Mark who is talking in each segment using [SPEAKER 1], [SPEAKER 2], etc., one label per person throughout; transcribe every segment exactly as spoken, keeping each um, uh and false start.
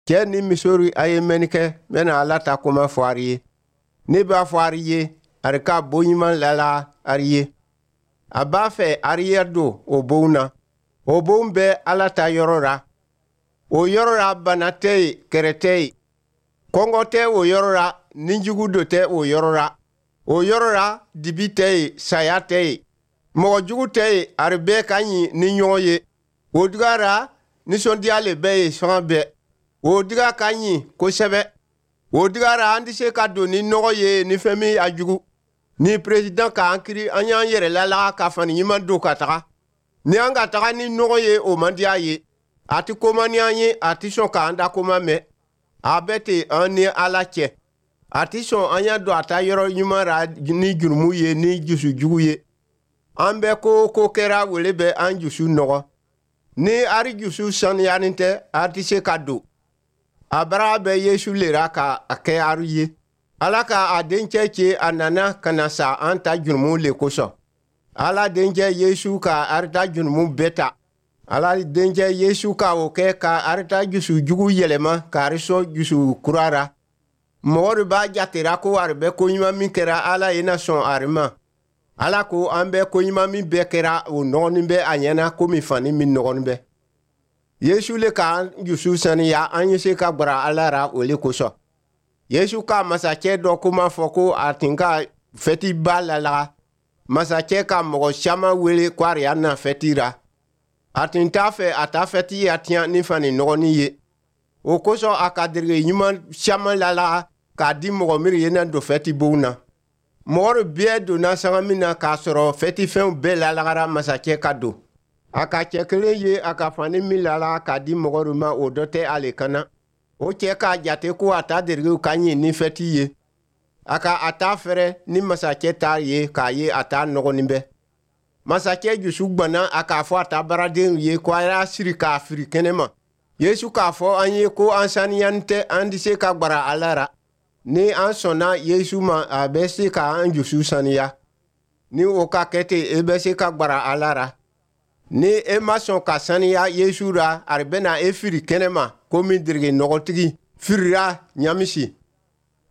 [SPEAKER 1] Cɛ ni misori a ye mɛnni kɛ, n bɛna Ala ta kuma fɔ ari ye. Ne b'a fɔ ari ye, ari ka bon ɲuman lala ari ye. A b'a fɛ ari ye don o bon na. O bon bɛ Ala ta yɔrɔ la. O yɔrɔ la bana tɛ yen, kɛrɛ tɛ yen. Kɔngɔ tɛ o yɔrɔ la, nijugu do tɛ o yɔrɔ la. O yɔrɔ la dibi tɛ yen, saya tɛ yen. Mɔgɔ jugu tɛ yen, ari bɛɛ ka ɲi ni ɲɔgɔn ye. O duga la nisɔndiya le bɛ yen sanga bɛɛ. O diga ka ɲi kosɛbɛ. O diga la an tɛ se ka don ni nɔgɔ ye ni fɛn min a jugu. Ni président k'an kiri, an y'an yɛrɛ lalaga ka fani ɲuman don ka taga. Ni an ka taga ni nɔgɔ ye, o man di a ye. A tɛ koma ni an ye, a tɛ sɔn k'an da koma mɛn. A bɛ ten an ni Ala cɛ. A tɛ sɔn an y'a don a ta yɔrɔ ɲuman ra ni jurumu ye, ni dusu jugu ye. An bɛ ko o ko kɛra, wele bɛ an dusu nɔgɔ. Ni ari dusu saniyalen tɛ, a tɛ se ka don. A bara bɛ Yesu le ra ka a kɛ ari ye. Ala ka a dencɛ ci, a nana ka na sa an ta jurumu le kosɔn. Ala dencɛ Yesu ka ari ta jurumu bɛɛ ta. Ala dencɛ Yesu ka o kɛ ka ari ta dusu jugu yɛlɛma ka ari sɔn dusu kura ra. Mɔgɔ de b'a jatera ko ari bɛ ko ɲuman min kɛra, Ala ye na sɔn ari ma. Ala ko an bɛ ko ɲuman min bɛɛ kɛra, o nɔgɔnin bɛ a ɲɛna komi fani min nɔgɔnin bɛ. Yesu le k'an dusu saniya, an ye se ka gbara Ala ra o le kosɔn. Yesu ka masakɛ dɔ kuma fɔ ko a tun ka fɛtiba lalaga. Masakɛ ka mɔgɔ caman wele ko a y'a na fɛti ra. A tun t'a fɛ a ta fɛti ya tiɲɛ ni fani nɔgɔnin ye. O kosɔn a ka derege ɲuman caman lalaga k'a di mɔgɔ minnu ye na don fɛti bon na. Mɔgɔ bɛɛ donna sanga min na k'a sɔrɔ fɛtifɛnw bɛɛ lalagara, masakɛ ka don. A ka cɛ kelen ye a ka fani min lala k'a di mɔgɔ ma, o dɔ tɛ ale kana. O cɛ k'a jate ko a ta derigew ka ɲi ni fɛti ye. A ka a ta fɛrɛ ni masakɛ ta ye k'a ye a ta nɔgɔnin bɛ. Masakɛ dusu gwanna, a k'a fɔ a ta baaradenw ye ko a y'a siri k'a firi kɛnɛ ma. Yesu k'a fɔ an ye ko an saniyani tɛ, an tɛ se ka gbara Ala ra. Ni an sɔnna Yesu ma, a bɛ se k'an dusu saniya. Ni o ka kɛ ten, e bɛ se ka gbara Ala ra. Ni e ma sɔn ka saniya Yesu ra, a bɛna e firi kɛnɛ ma komi derege nɔgɔtigi firira ɲamisi.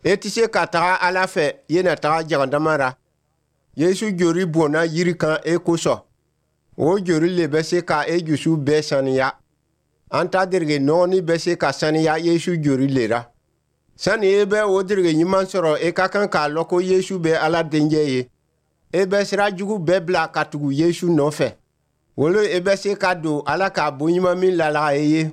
[SPEAKER 1] E tɛ se ka taga Ala fɛ, i na taga jagandama ra. Yesu jori bɔnna yiri kan e kosɔn. O jori le bɛ se ka e dusu bɛɛ saniya. An ta derege nɔgɔni bɛ se ka saniya Yesu jori le ra. Sani e bɛ o derege ɲuman sɔrɔ, e ka kan k'a lɔn ko Yesu bɛ Ala dencɛ ye. E bɛ sira jugu bɛɛ bila ka tugu Yesu nɔfɛ. Wolo e bɛ se ka don Ala ka bon ɲuman min lalaga e ye.